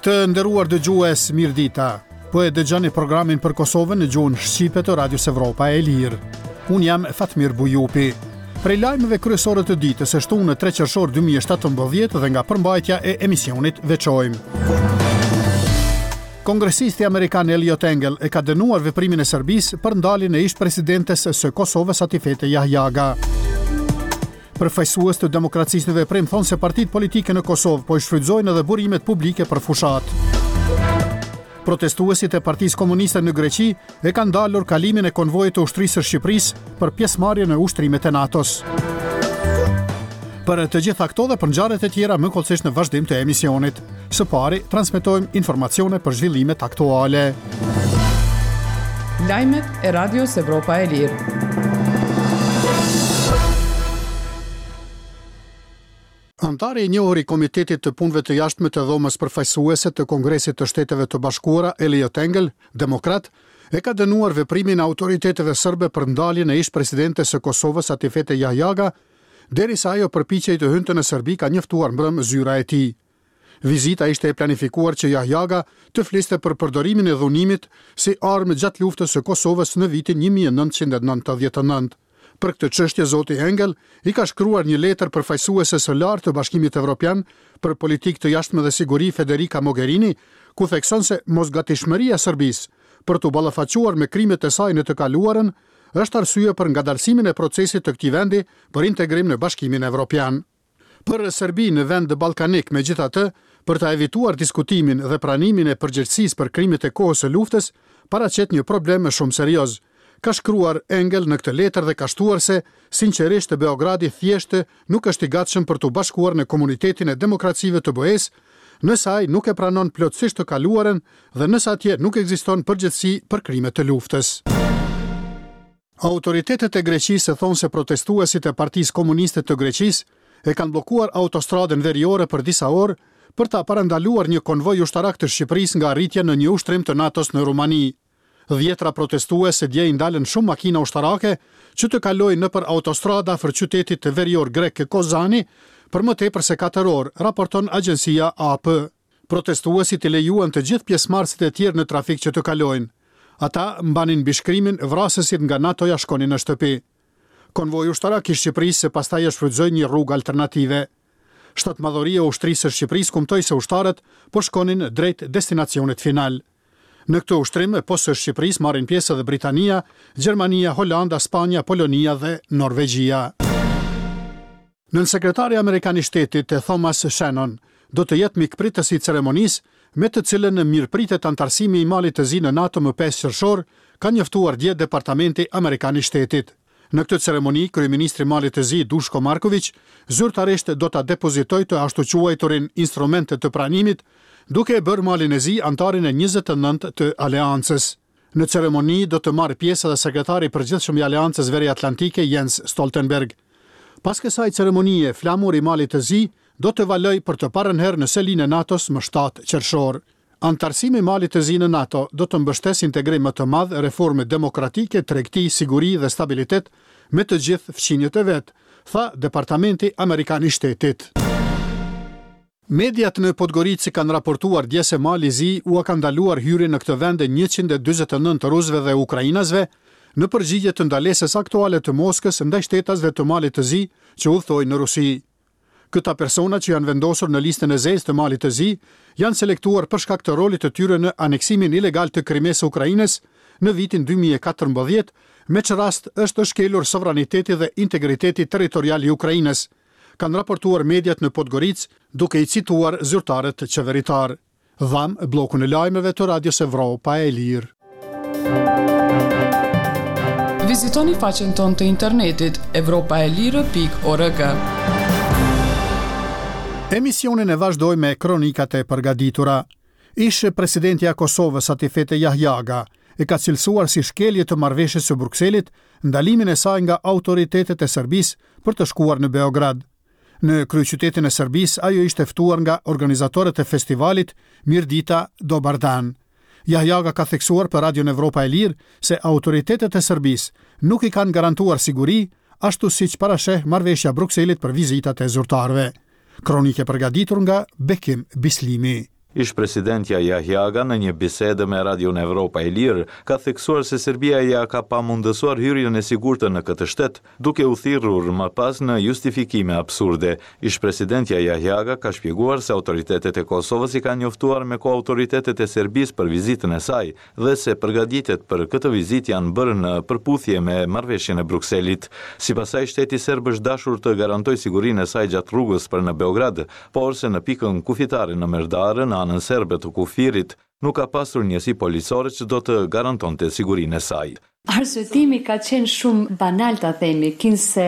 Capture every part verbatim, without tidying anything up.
Të nderuar dëgjues, mirëdita. Po e dëgjoni programin për Kosovën në gjuhën shqipe të Radios Evropa e Lirë. Unë jam Fatmir Bujupi. Prej lajmeve kryesore të ditës së shtunë tre qershor dy mijë e shtatëmbëdhjetë dhe nga përmbajtja e emisionit veçojmë: Kongresisti amerikan Eliot Engel e ka dënuar veprimin e Serbisë për ndaljen e ish presidentes së Kosovës, Atifete Jahjaga. Përfaqësues të Demokracisë në Veprim thonë se partitë politike në Kosovë po i shfrytëzojnë edhe burimet publike për fushat. Protestuesit e Partisë Komuniste në Greqi e kanë ndalur kalimin e konvojit të ushtrisë së Shqipërisë për pjesëmarrje në ushtrimet e NATO-s. Për të gjitha këto dhe për ngjarjet e tjera më hollësisht në vazhdim të emisionit. Së pari, transmetojmë informacione për zhvillimet aktuale. Lajmet e Radios Evropa e Lirë. Anëtari i njohur i Komitetit të Punëve të Jashtme të Dhomës Përfaqësuese të Kongresit të Shteteve të Bashkuara, Eliot Engel, demokrat, e ka dënuar veprimin e autoriteteve serbe për ndaljen e ish presidentes së Kosovës, Atifete Jahjaga, derisa ajo përpiqej të hynte në Serbi, ka njoftuar mbrëm zyra e tij. Vizita ishte e planifikuar që Jahjaga të fliste për përdorimin e dhunimit si armë gjatë luftës së Kosovës në vitin një mijë e nëntëqind e nëntëdhjetë e nëntë. Për këtë çështje, zoti Engel i ka shkruar një letër përfaqësueses së lartë të Bashkimit Evropian për politikë të jashtme dhe siguri, Federica Mogherini, ku thekson se mosgatishmëria e Serbisë për të ballafaquar me krimet e saj në të kaluarën është arsye për ngadalësimin e procesit të këtij vendi për integrim në Bashkimin Evropian. Për Serbinë, vend ballkanik, megjithatë, për ta evituar diskutimin dhe pranimin e përgjegjësisë për krimet e kohës së luftës, paraqet një problem shumë serioz, ka shkruar Engel në këtë letër dhe ka shtuar se, sinqerisht, Beogradi thjesht nuk është i gatshëm për t'u bashkuar në komunitetin e demokracive të B E-s, nëse ai nuk e pranon plotësisht të kaluarën dhe nëse atje nuk ekziston përgjegjësi për krime të luftës. Autoritetet e Greqisë thonë se protestuesit e Partisë Komuniste të Greqisë e kanë bllokuar autostradën veriore për disa orë për ta parandaluar një konvoj ushtarak të Shqipërisë nga arritja në një ushtrim të NATO-s në Rumani. Dhjetra protestues dje i ndalën shumë makina ushtarake që të kalojnë nëpër autostrada afër qytetit të verior grek Kozani për më tepër se katër orë, raporton agjencia A P. Protestuesit i lejuan të gjithë pjesëmarrësit e tjerë në trafik që të kalojnë. Ata mbanin mbishkrimin "Vrasësit nga NATO-ja, shkonin në shtëpi". Konvoi ushtarak i Shqipërisë pastaj e shfrytëzoi një rrugë alternative. Shtatmadhoria e ushtrisë së Shqipërisë kumtoi se ushtarët po shkonin drejt destinacionit final. Në këtë ushtrim, pos së Shqipërisë, marrin pjesë edhe Britania, Gjermania, Holanda, Spanja, Polonia dhe Norvegjia. Nënsekretari amerikan i shtetit, Thomas Shannon, do të jetë mikpritës i ceremonisë me të cilën mirëpritet anëtarësimi i Malit të Zi në NATO më pesë qershor, ka njoftuar dje Departamenti Amerikan i Shtetit. Në këtë ceremoni, kryeministri i Malit të Zi, Dushko Marković, zyrtarisht do ta depozitojë të ashtuquajturin instrumente të pranimit, duke e bërë Malin e Zi anëtarin e njëzet e nëntë të Aleancës. Në ceremoni do të marrë pjesë edhe sekretari i përgjithshëm i Aleancës Veri Atlantike, Jens Stoltenberg. Pas kësaj ceremonie, flamuri i Malit të Zi do të valojë për të parën herë në selinë e NATO-s më shtatë qershor. Anëtarësimi i Malit të Zi në NATO do të mbështesë integrim më të madh, reforme demokratike, tregti, siguri dhe stabilitet me të gjithë fqinjët e vet, tha Departamenti Amerikan i Shtetit. Mediat në Podgoricë kanë raportuar dje se Mali i Zi ua ka ndaluar hyrjen në këtë vend njëqind e dyzet e nëntë rusëve dhe ukrainasve në përgjigje të ndalesës aktuale të Moskës ndaj shtetasve të Malit të Zi që udhtojnë në Rusi. Këta persona, që janë vendosur në listën e zezë të Malit të Zi, janë selektuar për shkak të rolit të tyre në aneksimin ilegal të Krimesë së Ukrainës në vitin dy mijë e katërmbëdhjetë, me që rast është shkelur sovraniteti dhe integriteti territorial i Ukrainës, kanë raportuar mediat në Podgoricë, duke i cituar zyrtarët qeveritar. Dhamë bllokun e lajmeve të Radios Evropa e Lirë. Vizitoni faqen tonë të internetit evropaelire pikë org. Emisionin e vazhdoj me kronikat e përgatitura. Ish presidentja e Kosovës, Atifete Jahjaga, e ka cilësuar si shkelje të marrëveshjes së Brukselit ndalimin e saj nga autoritetet e Serbisë për të shkuar në Beograd. Në kryeqytetin e Serbisë ajo ishte ftuar nga organizatorët e festivalit Mirdita Dobar Dan. Jahjaga ka theksuar për Radion Evropa e Lirë se autoritetet e Serbisë nuk i kanë garantuar siguri, ashtu siç parasheh marrëveshja e Brukselit për vizitat e zyrtarëve. Kronike përgatitur nga Bekim Bislimi. Ish-presidentja Jahjaga në një bisedë me Radion Evropa e Lirë ka theksuar se Serbia ja ka pamundësuar hyrjen e sigurtë në këtë shtet, duke u thirrur më pas në justifikime absurde. Ish-presidentja Jahjaga ka shpjeguar se autoritetet e Kosovës i kanë njoftuar me kohë autoritetet e Serbisë për vizitën e saj dhe se përgatitjet për këtë vizitë janë bërë në përputhje me marrëveshjen e Brukselit. Sipas saj, shteti serb është dashur të garantojë sigurinë e saj gjatë rrugës për në Beograd, por se në pikën kufitare në Merdare, në anën serbe të kufirit, nuk ka pasur njësi policore që do të garantonte sigurinë e saj. Arsyetimi ka qenë shumë banal ta themi, kinse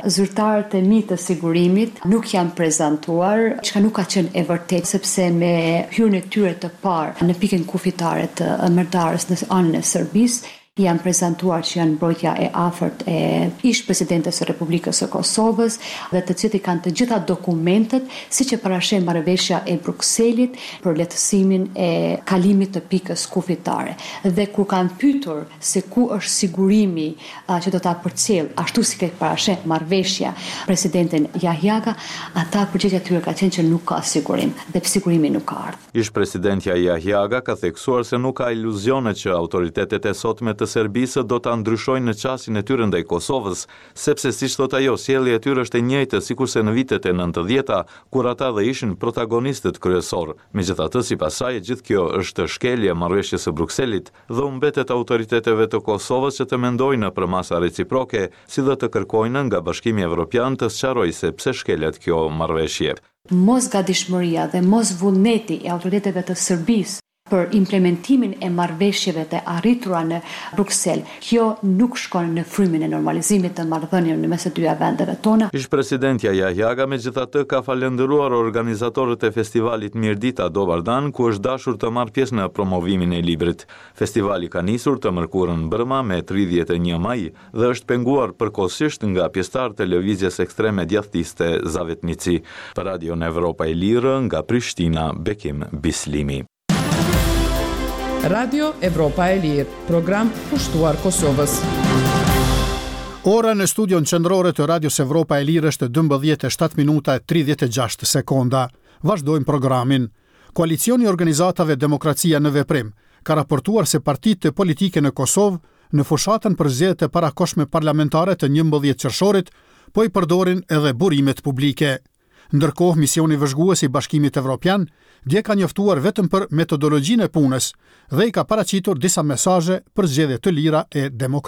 zyrtarët e mi të sigurimit nuk janë prezantuar, çka nuk ka qenë e vërtetë, sepse me hyrjen e tyre të parë në pikën kufitare të Merdarës në anën e Serbisë, janë prezantuar që janë mbrojtja e afërt e ish presidentes së Republikës së Kosovës dhe të cilët i kanë të gjitha dokumentet, siç e parasheh marrëveshja e Brukselit për lehtësimin e kalimit të pikës kufitare. Dhe kur kanë pyetur se ku është sigurimi a, që do ta përcjell, ashtu si e parasheh marrëveshja presidentin Jahjaga, ata përgjigjja e tyre ka qenë që nuk ka sigurim dhe sigurimi nuk ka ardhur. Ish presidentja Jahjaga ka theksuar se nuk ka iluzione që autoritetet e sotme të Serbisë do ta ndryshojnë në qasjen e tyre ndaj Kosovës, sepse siç thot ajo, sjellja e tyre është e njëjtë sikurse në vitet e nëntëdhjeta, kur ata dhe ishin protagonistët kryesor. Megjithatë, sipas saj, gjithë kjo është shkelje e marrëveshjes së Brukselit dhe u mbetet autoriteteve të Kosovës që të mendojnë për masa reciproke, si dhe të kërkojnë nga Bashkimi Evropian të sqarojë se pse shkelet kjo marrëveshje. Mos gatishmëria dhe mos vullneti i autoriteteve të Serbisë për implementimin e marrëveshjeve të arritura në Bruksel, kjo nuk shkon në frymën e normalizimit të marrëdhënieve në mes të dyja vendeve tona. Ish presidentja Jahjaga megjithatë ka falendëruar organizatorët e festivalit Mirdita Dobar Dan, ku është dashur të marrë pjesë në promovimin e librit. Festivali ka nisur të mërkurën mbrëma me tridhjetë e një maj dhe është penguar përkohësisht nga pjesëtarët e lëvizjes ekstreme djathtiste Zavetnici. Për Radion Evropa e Lirë nga Prishtina, Bekim Bislimi. Radio Evropa e Lirë, program kushtuar Kosovës. Ora në studion qendrore të Radios Evropa e Lirë është dymbëdhjetë e shtatë minuta e tridhjetë e gjashtë sekonda. Vazhdojmë programin. Koalicioni i organizatave Demokracia në Veprim ka raportuar se partitë politike në Kosovë në fushatën për zgjedhjet e parakohshme parlamentare të njëmbëdhjetë qershorit po i përdorin edhe burimet publike. Ndërkohë, misioni vëzhgues i Bashkimit Evropian dje ka njoftuar vetëm për metodologjinë e punës dhe i ka paraqitur disa mesazhe për zgjedhje të lira e demokratike.